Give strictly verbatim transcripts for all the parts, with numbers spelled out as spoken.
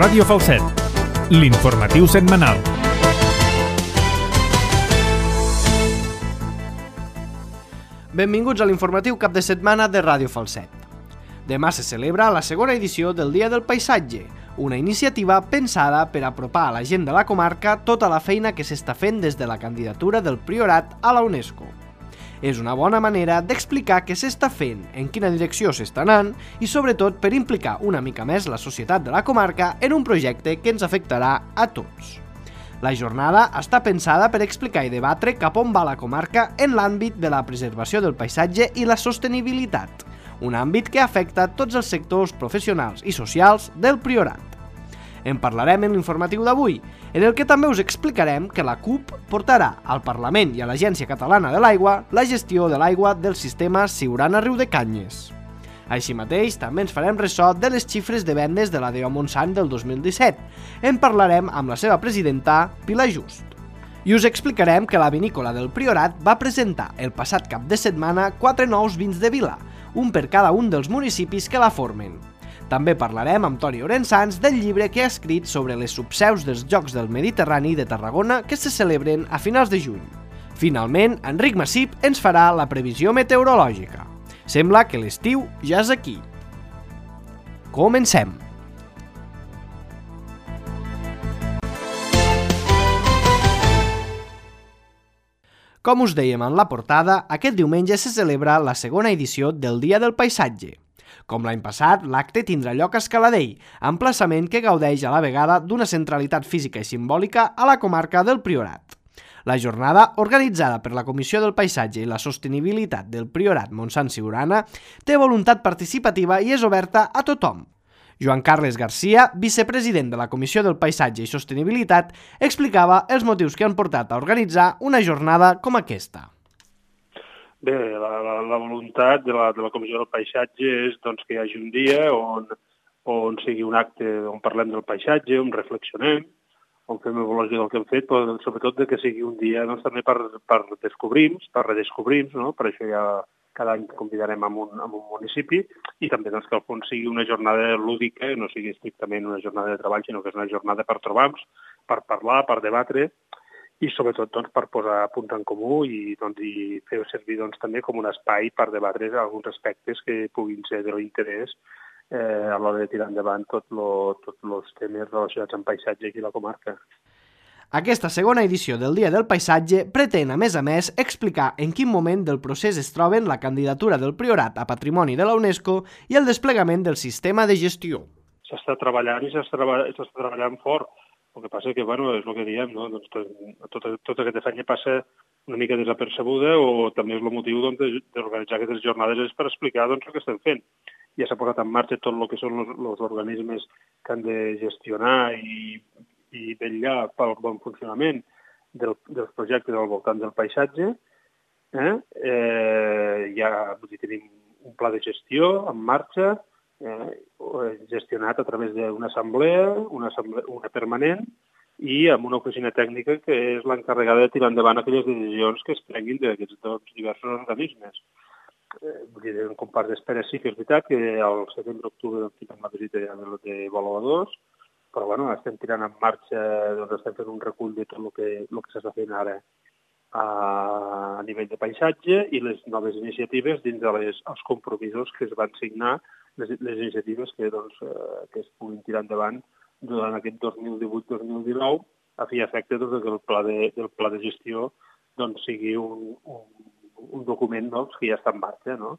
Ràdio Falset, l'informatiu setmanal. Benvinguts a l'informatiu cap de setmana de Ràdio Falset. Demà se celebra la segona edició del Dia del Paisatge, una iniciativa pensada per apropar a la gent de la comarca tota la feina que s'està fent des de la candidatura del Priorat a la UNESCO. És una bona manera d'explicar què s'està fent, en quina direcció s'està anant i sobretot per implicar una mica més la societat de la comarca en un projecte que ens afectarà a tots. La jornada està pensada per explicar i debatre cap on va la comarca en l'àmbit de la preservació del paisatge i la sostenibilitat, un àmbit que afecta tots els sectors professionals i socials del Priorat. En parlarem en l'informatiu d'avui, en el que també us explicarem que la C U P portarà al Parlament i a l'Agència Catalana de l'Aigua la gestió de l'aigua del sistema Siurana-Riudecanyes. Així mateix, també ens farem ressò de les xifres de vendes de la D E O Montsant del dos mil disset. En parlarem amb la seva presidenta, Pilar Just. I us explicarem que la vinícola del Priorat va presentar el passat cap de setmana quatre nous vins de vila, un per cada un dels municipis que la formen. També parlarem amb Toni Orensans del llibre que ha escrit sobre les subseus dels Jocs del Mediterrani de Tarragona que se celebren a finals de juny. Finalment, Enric Massip ens farà la previsió meteorològica. Sembla que l'estiu ja és aquí. Comencem! Com us dèiem en la portada, aquest diumenge se celebra la segona edició del Dia del Paisatge. Com l'any passat, l'acte tindrà lloc a Escaladell, emplaçament que gaudeix a la vegada d'una centralitat física i simbòlica a la comarca del Priorat. La jornada, organitzada per la Comissió del Paisatge i la Sostenibilitat del Priorat Montsant-Siurana, té voluntat participativa i és oberta a tothom. Joan Carles Garcia, vicepresident de la Comissió del Paisatge i Sostenibilitat, explicava els motius que han portat a organitzar una jornada com aquesta. Bé, la, la, la voluntat de la, de la Comissió del Paisatge és doncs, que hi hagi un dia on, on sigui un acte on parlem del paisatge, on reflexionem, on fem evolució del que hem fet, però sobretot de que sigui un dia doncs, també per, per descobrir-nos, per redescobrir-nos, no? Per això ja cada any convidarem a un, a un municipi i també doncs, que al fons sigui una jornada lúdica, no sigui estrictament una jornada de treball, sinó que és una jornada per trobar-nos, per parlar, per debatre, i sobretot doncs, per posar punts en comú i, doncs, i fer servir doncs, també com un espai per debatre alguns aspectes que puguin ser de l'interès eh, a l'hora de tirar endavant tots lo, tot els temes relacionats amb paisatge aquí a la comarca. Aquesta segona edició del Dia del Paisatge pretén, a més a més, explicar en quin moment del procés es troben la candidatura del Priorat a Patrimoni de la UNESCO i el desplegament del sistema de gestió. S'està treballant i s'està treballant fort. El que passa és que, bueno, és el que diem, no? Doncs, tota, tota aquesta feina passa una mica desapercebuda o també és el motiu doncs, d'organitzar aquestes jornades és per explicar doncs, el que estem fent. Ja s'ha posat en marxa tot el que són els organismes que han de gestionar i, i vetllar pel bon funcionament del, dels projectes al voltant del paisatge. Eh? Eh, ja vull dir, tenim un pla de gestió en marxa, Eh, gestionat a través d'una assemblea, una assemblea, una permanent, i amb una oficina tècnica que és l'encarregada de tirar endavant aquelles decisions que es prenguin d'aquests dos diversos organismes. Eh, vull dir, en compàs d'espera sí que és veritat que al setembre-octubre doncs, tindrem la visita ja d'avaluadors, però bueno, estem tirant en marxa, doncs estem fent un recull de tot el que, el que s'està fent ara a nivell de paisatge i les noves iniciatives dins dels de compromisos que es van signar, les, les iniciatives que, doncs, eh, que es puguin tirar endavant durant aquest dos mil divuit dos mil dinou a fi i efecte doncs, que el pla de, del pla de gestió doncs, sigui un, un, un document doncs, que ja està en marxa, no?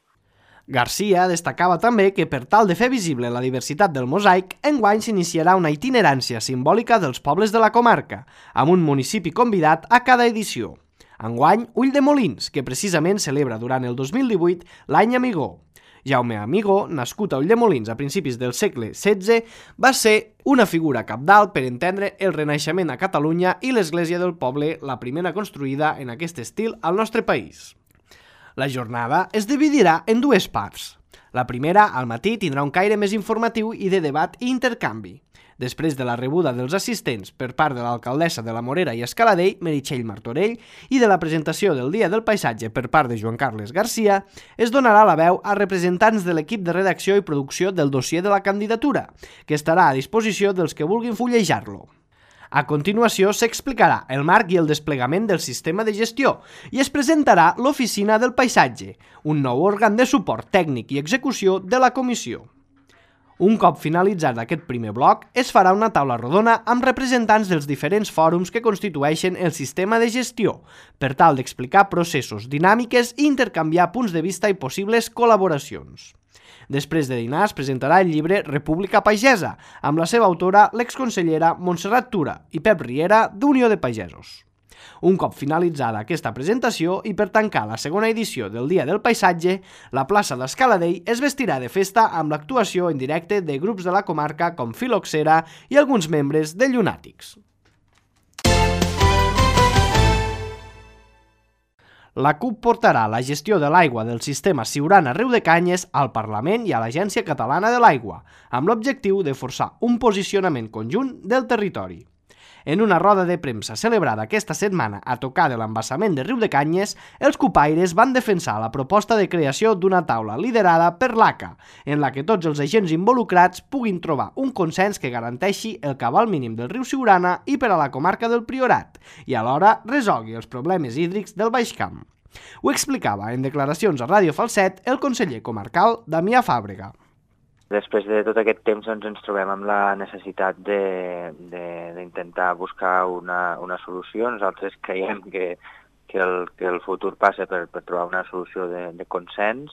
Garcia destacava també que per tal de fer visible la diversitat del mosaic, enguany s'iniciarà una itinerància simbòlica dels pobles de la comarca, amb un municipi convidat a cada edició. Enguany, Ulldemolins, que precisament celebra durant el dos mil divuit l'any Amigó. Jaume Amigó, nascut a Ulldemolins a principis del segle setze, va ser una figura cabdal per entendre el Renaixement a Catalunya i l'església del poble, la primera construïda en aquest estil al nostre país. La jornada es dividirà en dues parts. La primera, al matí, tindrà un caire més informatiu i de debat i intercanvi. Després de la rebuda dels assistents per part de l'alcaldessa de la Morera i Escaladell, Meritxell Martorell, i de la presentació del Dia del Paisatge per part de Joan Carles Garcia, es donarà la veu a representants de l'equip de redacció i producció del dossier de la candidatura, que estarà a disposició dels que vulguin fullejar-lo. A continuació s'explicarà el marc i el desplegament del sistema de gestió i es presentarà l'Oficina del Paisatge, un nou òrgan de suport tècnic i execució de la comissió. Un cop finalitzat aquest primer bloc, es farà una taula rodona amb representants dels diferents fòrums que constitueixen el sistema de gestió, per tal d'explicar processos, dinàmiques i intercanviar punts de vista i possibles col·laboracions. Després de dinar es presentarà el llibre República Pagesa, amb la seva autora, l'exconsellera Montserrat Tura i Pep Riera d'Unió de Pagesos. Un cop finalitzada aquesta presentació i per tancar la segona edició del Dia del Paisatge, la plaça d'Escaladell es vestirà de festa amb l'actuació en directe de grups de la comarca com Filoxera i alguns membres de Llunàtics. La CUP portarà la gestió de l'aigua del sistema Siurana-Riu de Canyes al Parlament i a l'Agència Catalana de l'Aigua, amb l'objectiu de forçar un posicionament conjunt del territori. En una roda de premsa celebrada aquesta setmana a tocar de l'embassament de Riu de Canyes, els cupaires van defensar la proposta de creació d'una taula liderada per l'A C A, en la que tots els agents involucrats puguin trobar un consens que garanteixi el cabal mínim del riu Siurana i per a la comarca del Priorat, i alhora resolgui els problemes hídrics del Baix Camp. Ho explicava en declaracions a Ràdio Falset el conseller comarcal Damià Fàbrega. Després de tot aquest temps doncs, ens trobem amb la necessitat d'intentar buscar una, una solució. Nosaltres creiem que, que, el, que el futur passa per, per trobar una solució de, de consens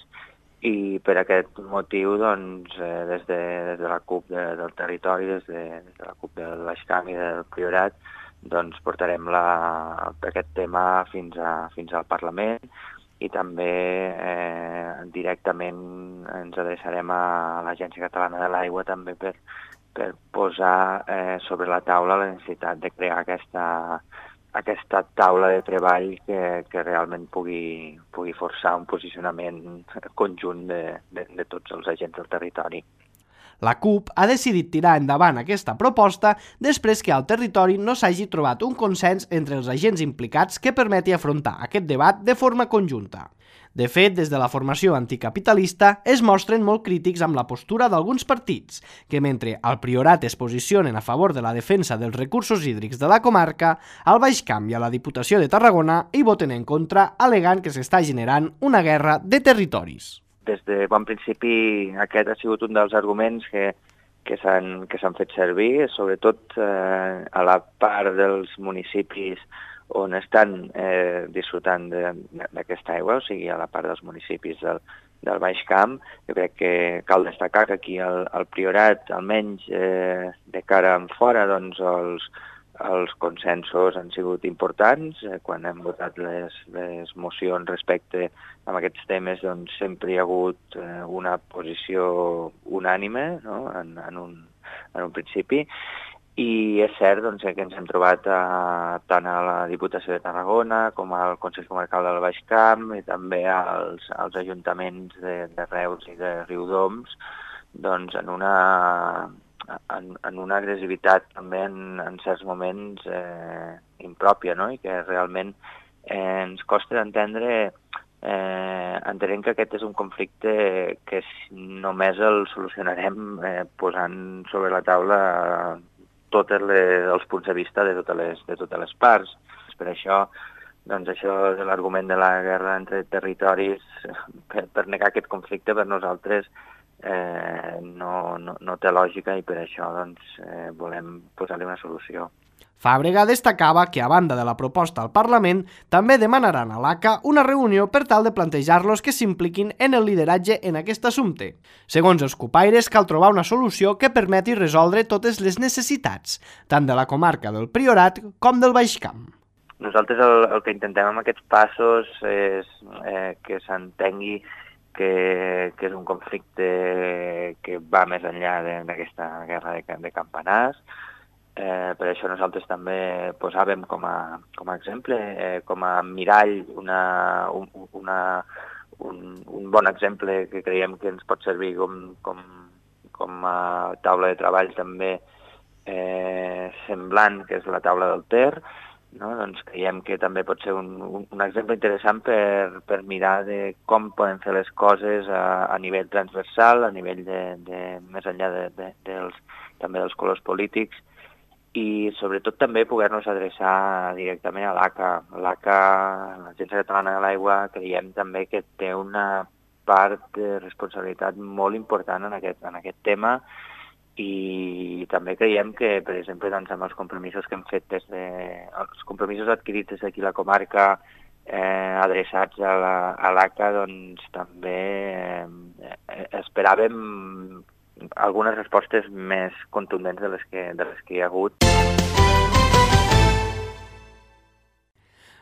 i per aquest motiu doncs, eh, des, de, des de la CUP de, del territori, des de, des de la CUP del Baix Camp i del Priorat, doncs, portarem la, aquest tema fins, a, fins al Parlament i també eh, directament ens adreçarem a l'Agència Catalana de l'Aigua també per, per posar eh, sobre la taula la necessitat de crear aquesta, aquesta taula de treball que, que realment pugui, pugui forçar un posicionament conjunt de, de, de tots els agents del territori. La CUP ha decidit tirar endavant aquesta proposta després que al territori no s'hagi trobat un consens entre els agents implicats que permeti afrontar aquest debat de forma conjunta. De fet, des de la formació anticapitalista es mostren molt crítics amb la postura d'alguns partits, que mentre al Priorat es posicionen a favor de la defensa dels recursos hídrics de la comarca, al Baix Camp i a la Diputació de Tarragona hi voten en contra, alegant que s'està generant una guerra de territoris. Des de bon principi aquest ha sigut un dels arguments que, que s'han que s'han fet servir, sobretot eh, a la part dels municipis on estan eh, disfrutant d'aquesta aigua, o sigui, a la part dels municipis del, del Baix Camp. Jo crec que cal destacar que aquí al, al Priorat, almenys eh, de cara en fora, doncs els, els consensos han sigut importants. Eh, quan hem votat les, les mocions respecte a aquests temes, doncs sempre hi ha hagut eh, una posició unànime, no? en, en, un, en un principi. I és cert doncs, que ens hem trobat a, tant a la Diputació de Tarragona com al Consell Comarcal del Baix Camp i també als, als ajuntaments de, de Reus i de Riudoms doncs, en, una, en, en una agressivitat també en, en certs moments eh, impròpia, no? I que realment eh, ens costa d'entendre eh, entenent que aquest és un conflicte que només el solucionarem eh, posant sobre la taula tots els punts de vista de totes les, de totes les parts. Per això, doncs això de l'argument de la guerra entre territoris, per, per negar aquest conflicte per nosaltres eh, no, no, no té lògica i per això doncs, eh, volem posar-li una solució. Fàbrega destacava que, a banda de la proposta al Parlament, també demanaran a l'A C A una reunió per tal de plantejar-los que s'impliquin en el lideratge en aquest assumpte. Segons els cupaires, cal trobar una solució que permeti resoldre totes les necessitats, tant de la comarca del Priorat com del Baix Camp. Nosaltres el, el que intentem amb aquests passos és eh, que s'entengui que, que és un conflicte que va més enllà d'aquesta guerra de, de campanars. Eh, per això nosaltres també posàvem com a, com a exemple, eh, com a mirall, una, una, un, un bon exemple que creiem que ens pot servir com, com, com a taula de treball també eh, semblant, que és la taula del Ter, no? Doncs creiem que també pot ser un, un, un exemple interessant per, per mirar de com podem fer les coses a, a nivell transversal, a nivell de, de més enllà de, de, dels, també dels colors polítics, i sobretot també poder-nos adreçar directament a l'A C A. L'A C A, l'Agència Catalana de l'Aigua, creiem també que té una part de responsabilitat molt important en aquest, en aquest tema, i també creiem que, per exemple, doncs, amb els compromisos que hem fet des de... els compromisos adquirits des d'aquí la comarca eh, adreçats a la, a l'A C A, doncs també eh, esperàvem algunes respostes més contundents de les que, de les que hi ha hagut.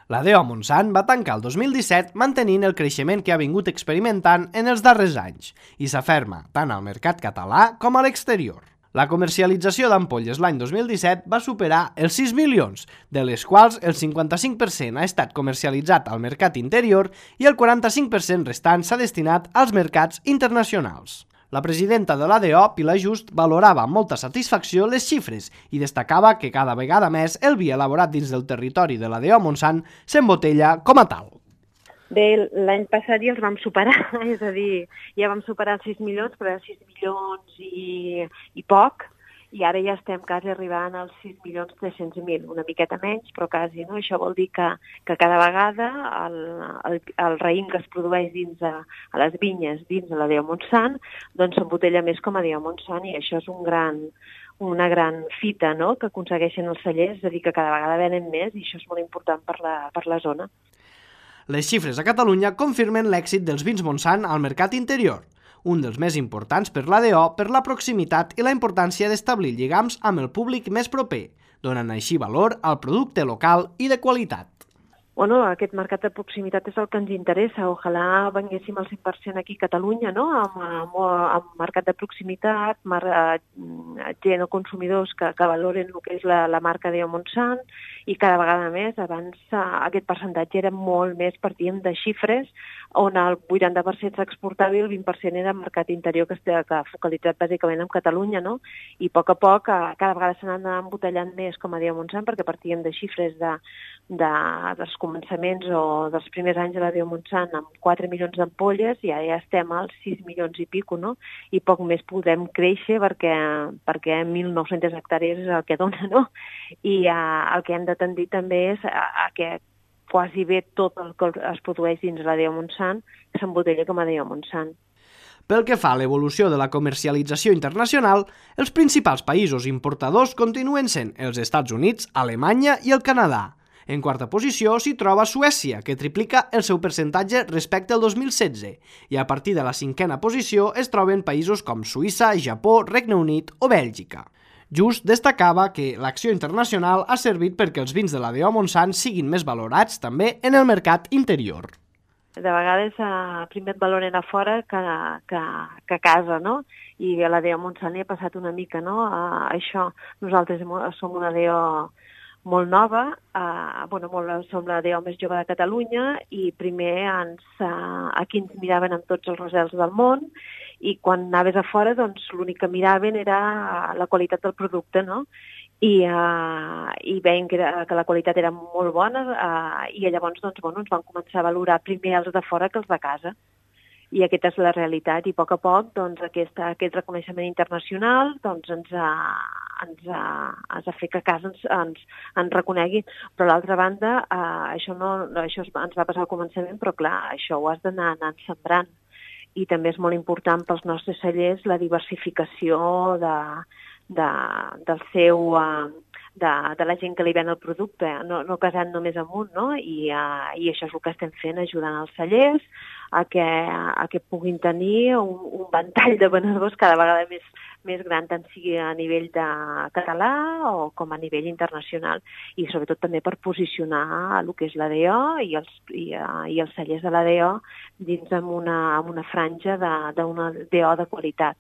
La D O Montsant va tancar el dos mil disset mantenint el creixement que ha vingut experimentant en els darrers anys i s'aferma tant al mercat català com a l'exterior. La comercialització d'ampolles l'any dos mil disset va superar els sis milions, de les quals el cinquanta-cinc per cent ha estat comercialitzat al mercat interior i el quaranta-cinc per cent restant s'ha destinat als mercats internacionals. La presidenta de la D O, Pilar Just, valorava amb molta satisfacció les xifres i destacava que cada vegada més el vi elaborat dins del territori de la D O Montsant s'embotella com a tal. Bé, l'any passat ja els vam superar, és a dir, ja vam superar els sis milions, però era sis milions i, i poc, i ara ja estem quasi arribant als sis milions tres-cents mil, una miqueta menys, però quasi, no? Això vol dir que, que cada vegada el, el, el raïm que es produeix dins a, a les vinyes, dins de la D O Montsant, doncs s'embotella més com a D O Montsant, i això és un gran, una gran fita, no?, que aconsegueixen els cellers, és a dir, que cada vegada venen més, i això és molt important per la, per la zona. Les xifres a Catalunya confirmen l'èxit dels vins Montsant al mercat interior, un dels més importants per la D O per la proximitat i la importància d'establir lligams amb el públic més proper, donant així valor al producte local i de qualitat. Bueno, aquest mercat de proximitat és el que ens interessa. Ojalà venguéssim al cent per cent aquí a Catalunya, no?, amb, amb, amb mercat de proximitat, mar, gent o consumidors que, que valoren el que és la, la marca D O Montsant, i cada vegada més. Abans aquest percentatge era molt més, partíem de xifres on el vuitanta per cent s'exportava i el vint per cent era mercat interior, que està focalitzat bàsicament en Catalunya, no? I a poc a poc cada vegada s'han anat embotellant més com a D O Montsant, perquè partíem de xifres de, de, dels començaments o dels primers anys de la D O Montsant amb quatre milions d'ampolles, i ara ja estem als sis milions i pico, no? I poc més podem créixer perquè, perquè mil nou-centes hectàrees és el que dona, no? I uh, el que hem de tendir també és a, a que quasi bé tot el que es produeix dins la D O Montsant s'embotella com a D O Montsant. Pel que fa a l'evolució de la comercialització internacional, els principals països importadors continuen sent els Estats Units, Alemanya i el Canadà. En quarta posició s'hi troba Suècia, que triplica el seu percentatge respecte al dos mil setze, i a partir de la cinquena posició es troben països com Suïssa, Japó, Regne Unit o Bèlgica. Just destacava que l'acció internacional ha servit perquè els vins de la D O Montsant siguin més valorats també en el mercat interior. De vegades eh, primer et valoren a fora que, que, que a casa, no? I a la D O Montsant hi ha passat una mica, no? Uh, això, nosaltres som una D O molt nova, uh, bueno, molt, som la D O més jove de Catalunya, i primer ens, uh, aquí ens miraven amb tots els rosels del món, i quan anaves a fora, doncs l'únic que miraven era la qualitat del producte, no? I, uh, i veien que, era, que la qualitat era molt bona, uh, i llavors doncs, bueno, ens van començar a valorar primer els de fora que els de casa. I aquesta és la realitat, i a poc a poc doncs, aquest, aquest reconeixement internacional doncs, ens, ha, ens, ha, ens ha fet que a casa ens, ens, ens reconegui. Però a l'altra banda, uh, això, no, això ens va passar al començament, però clar, això ho has d'anar anant sembrant. I també és molt important pels nostres cellers la diversificació de, de, del seu, de, de la gent que li ven el producte, no, no casant només amb un, no? I, uh, i això és el que estem fent, ajudant els cellers a que, a que puguin tenir un, un ventall de venedors cada vegada més, més gran, tant sigui a nivell de català o com a nivell internacional, i sobretot també per posicionar el que és la D O i els, i, uh, i els cellers de la D O dins amb una, amb una franja d'una D O de qualitat.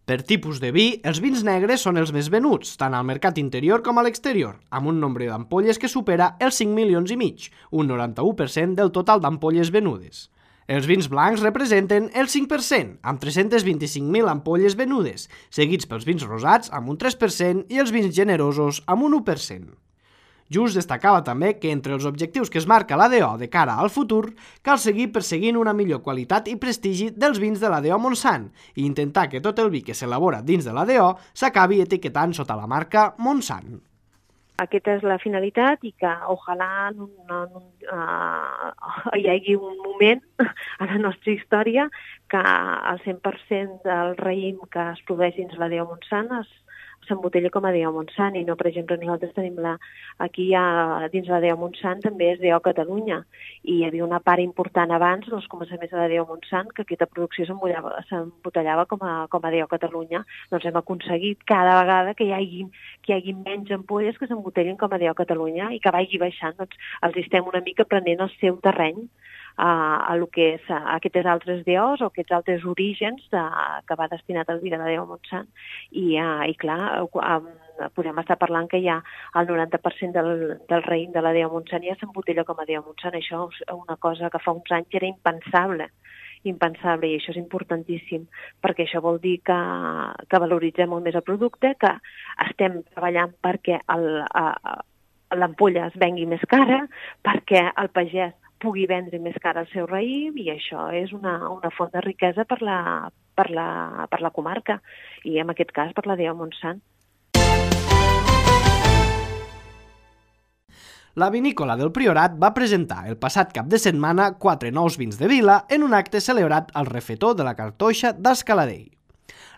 Per tipus de vi, els vins negres són els més venuts, tant al mercat interior com a l'exterior, amb un nombre d'ampolles que supera els cinc milions i mig, un noranta-u per cent del total d'ampolles venudes. Els vins blancs representen el cinc per cent, amb tres-cents vint-i-cinc mil ampolles venudes, seguits pels vins rosats amb un tres per cent i els vins generosos amb un u per cent. Just destacava també que entre els objectius que es marca l'A D O de cara al futur cal seguir perseguint una millor qualitat i prestigi dels vins de l'A D O Montsant i intentar que tot el vi que s'elabora dins de l'A D O s'acabi etiquetant sota la marca Montsant. Aquesta és la finalitat i que ojalà no, no, no, uh, hi hagi un moment a la nostra història que el cent per cent del raïm que es produeix dins l'A D O Montsant es s'embotella com a A D O Montsant i no, per exemple, nosaltres tenim la, aquí ha, dins l'A D O Montsant també és A D O Catalunya i hi havia una part important abans dels començaments de l'A D O Montsant que aquesta producció s'embotellava com, a, com a A D O Catalunya. Doncs hem aconseguit cada vegada que hi hagi, que hi hagi menys ampolles que s'embotellin com a A D O Catalunya i que vagi baixant. Doncs els estem una mica prenent el seu terreny a, a, lo que és, a aquests altres D Os o aquests altres orígens de, que va destinat al vi de l'A D O Montsant. I, uh, i clar, um, podem estar parlant que ja el noranta per cent del, del raïm de l'A D O Montsant ja s'embotella com a A D O Montsant. Això és una cosa que fa uns anys era impensable. impensable i això és importantíssim perquè això vol dir que, que valoritzem molt més el producte, que estem treballant perquè l'ampolla es vengui més cara, perquè el pagès pugui vendre més cara el seu raïm i això és una, una font de riquesa per la, per, la, per la comarca i en aquest cas per l'A D O Montsant. La vinícola del Priorat va presentar el passat cap de setmana quatre nous vins de vila en un acte celebrat al refetó de la Cartoixa d'Escaladell.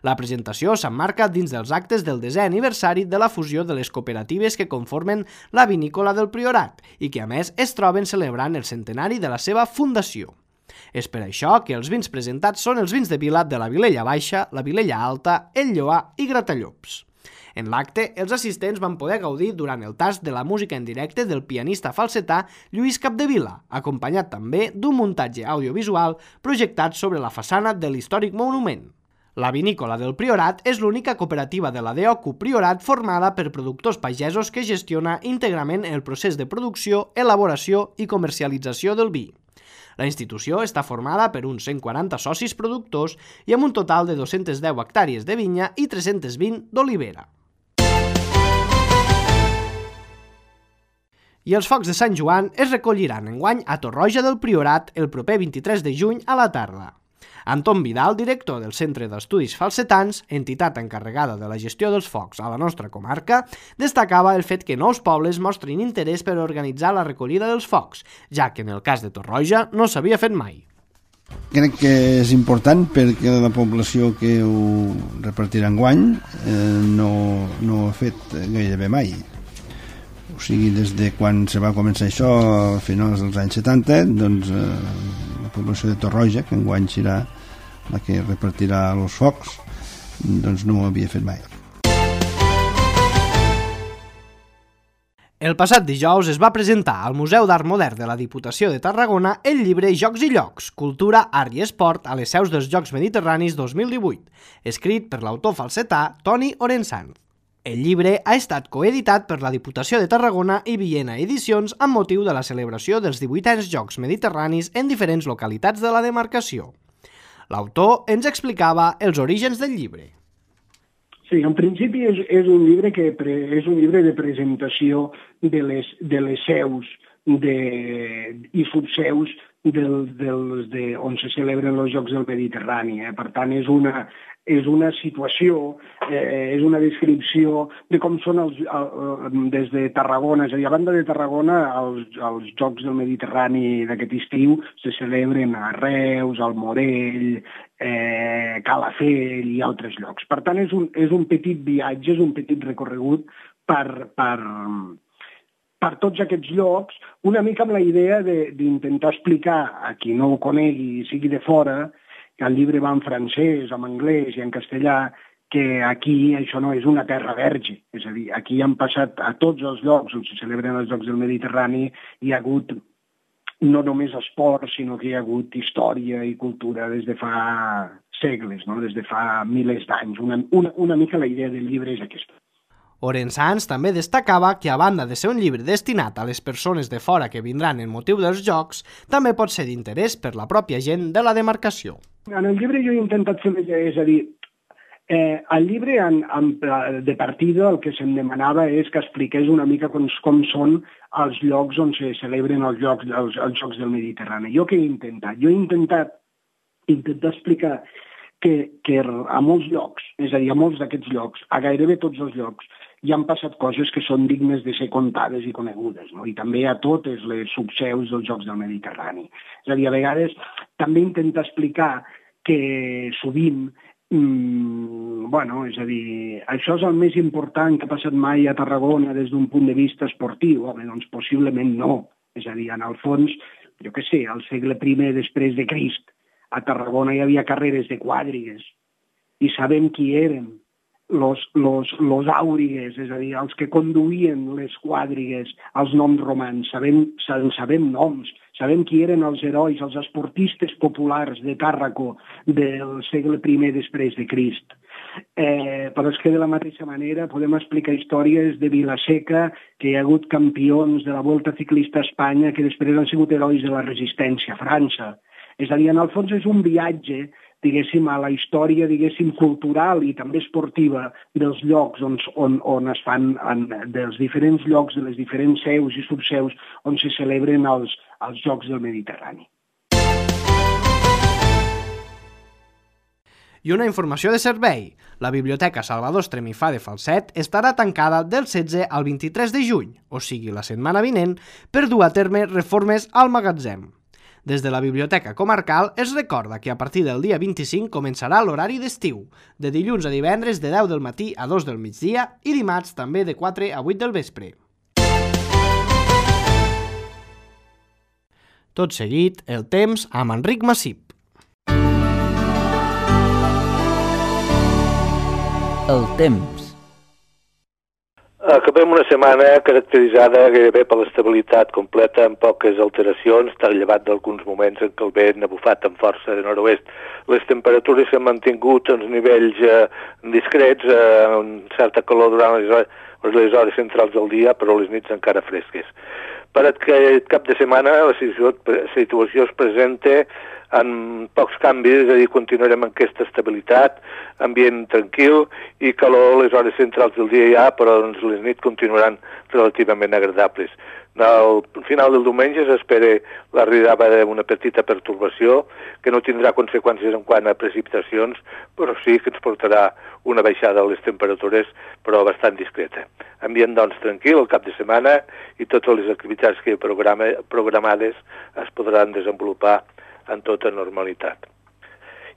La presentació s'emmarca dins dels actes del desè aniversari de la fusió de les cooperatives que conformen la vinícola del Priorat i que a més es troben celebrant el centenari de la seva fundació. És per això que els vins presentats són els vins de vila de la Vilella Baixa, la Vilella Alta, el Lloar i Gratallops. En l'acte, els assistents van poder gaudir durant el tast de la música en directe del pianista falsetà Lluís Capdevila, acompanyat també d'un muntatge audiovisual projectat sobre la façana de l'històric monument. La vinícola del Priorat és l'única cooperativa de la D O C U Priorat formada per productors pagesos que gestiona íntegrament el procés de producció, elaboració i comercialització del vi. La institució està formada per uns cent quaranta socis productors i amb un total de dos-centes deu hectàrees de vinya i tres-centes vint d'olivera. I els focs de Sant Joan es recolliran enguany a Torroja del Priorat el proper vint-i-tres de juny a la tarda. Anton Vidal, director del Centre d'Estudis Falsetans, entitat encarregada de la gestió dels focs a la nostra comarca, destacava el fet que nous pobles mostrin interès per organitzar la recollida dels focs, ja que en el cas de Torroja no s'havia fet mai. Crec que és important perquè la població que ho repartirà enguany eh, no, no ho ha fet gairebé mai. O sigui, des de quan se va començar això a finals dels anys setanta, doncs eh, la població de Torroja, que enguany serà la que repartirà els focs, doncs no ho havia fet mai. El passat dijous es va presentar al Museu d'Art Modern de la Diputació de Tarragona el llibre Jocs i Llocs, Cultura, Art i Esport a les seus dels Jocs Mediterranis dos mil divuit, escrit per l'autor falsetà Toni Orensanz. El llibre ha estat coeditat per la Diputació de Tarragona i Villena Edicions amb motiu de la celebració dels divuitens Jocs Mediterranis en diferents localitats de la demarcació. L'autor ens explicava els orígens del llibre. Sí, en principi és, és, un llibre que pre, és un llibre de presentació de les, de les seus de, i subseus del, dels de, on se celebren els Jocs del Mediterrani. Eh? Per tant, és una, és una situació, eh, és una descripció de com són els, el, des de Tarragona, és a dir, a banda de Tarragona, els, els Jocs del Mediterrani d'aquest estiu se celebren a Reus, al Morell, eh, Calafell i altres llocs. Per tant, és un, és un petit viatge, és un petit recorregut per, per, per tots aquests llocs, una mica amb la idea d'intentar explicar a qui no ho conegui i sigui de fora, que el llibre va en francès, en anglès i en castellà, que aquí això no és una terra verge. És a dir, aquí han passat a tots els llocs on se celebren els Jocs del Mediterrani, hi ha hagut no només esport, sinó que hi ha hagut història i cultura des de fa segles, no? Des de fa milers d'anys. Una, una, una mica la idea del llibre és aquesta. Orensanz també destacava que, a banda de ser un llibre destinat a les persones de fora que vindran en motiu dels Jocs, també pot ser d'interès per la pròpia gent de la demarcació. En el llibre jo he intentat fer, és a dir, eh, el llibre en, en, de partida el que se'm demanava és que expliqués una mica com, com són els llocs on se celebren els Jocs, els, els Jocs del Mediterrani. Jo què he intentat? Jo he intentat, intentar explicar que, que a molts llocs, és a dir, a molts d'aquests llocs, a gairebé tots els llocs, hi han passat coses que són dignes de ser contades i conegudes, no? I també a totes les subseus dels Jocs del Mediterrani. És a dir, a vegades també intenta explicar que sovint, mmm, bueno, és a dir, això és el més important que ha passat mai a Tarragona des d'un punt de vista esportiu. Home, doncs possiblement no. És a dir, en el fons, jo què sé, al segle primer després de Crist, a Tarragona hi havia carreres de quàdrigues i sabem qui eren los, los, los àurigues, és a dir, els que conduïen les quàdrigues, els noms romans, sabem, sabem noms, sabem qui eren els herois, els esportistes populars de Tàrraco del segle primer després de Crist. Eh, però és que de la mateixa manera podem explicar històries de Vilaseca, que hi ha hagut campions de la Volta Ciclista a Espanya que després han sigut herois de la resistència a França. És a dir, en el fons és un viatge, diguéssim, a la història, diguéssim, cultural i també esportiva dels llocs on, on, on es fan, en, dels diferents llocs, de les diferents seus i subseus on se celebren els, els Jocs del Mediterrani. I una informació de servei. La Biblioteca Salvador Estremifà de Falset estarà tancada del setze al vint-i-tres de juny, o sigui, la setmana vinent, per dur a terme reformes al magatzem. Des de la Biblioteca Comarcal es recorda que a partir del dia vint-i-cinc començarà l'horari d'estiu, de dilluns a divendres de deu del matí a dos del migdia i dimarts també de quatre a vuit del vespre. Tot seguit, el temps amb Enric Massip. El temps. Acabem una setmana caracteritzada gairebé per l'estabilitat completa amb poques alteracions, tal llevat d'alguns moments en què el vent ha bufat amb força de nord-oest. Les temperatures s'han mantingut a uns nivells eh, discrets, eh, amb certa calor durant les hores, les hores centrals del dia, però les nits encara fresques. Per aquest cap de setmana la situació es presenta en pocs canvis, és a dir, continuarem amb aquesta estabilitat, ambient tranquil i calor a les hores centrals del dia ja, però doncs, les nits continuaran relativament agradables. Al final del diumenge s'espera l'arribada d'una petita pertorbació que no tindrà conseqüències en quant a precipitacions, però sí que ens portarà una baixada de les temperatures, però bastant discreta. Ambient, doncs, tranquil el cap de setmana i totes les activitats que programa, programades es podran desenvolupar en tota normalitat.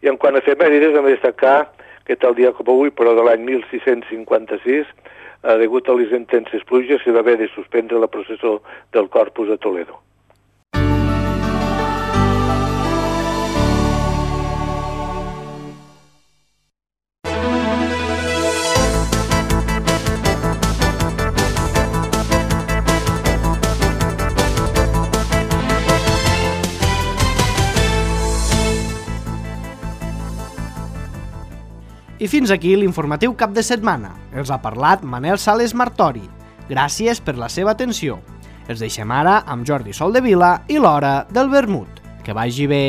I en quant a efemèrides, hem de destacar que tal dia com avui, però de l'any mil sis-cents cinquanta-sis, degut a les intenses pluges, s'hi va haver de suspendre la processó del Corpus a Toledo. I fins aquí l'informatiu cap de setmana. Els ha parlat Manel Sales Martori. Gràcies per la seva atenció. Els deixem ara amb Jordi Soldevila i l'Hora del Vermut. Que vagi bé!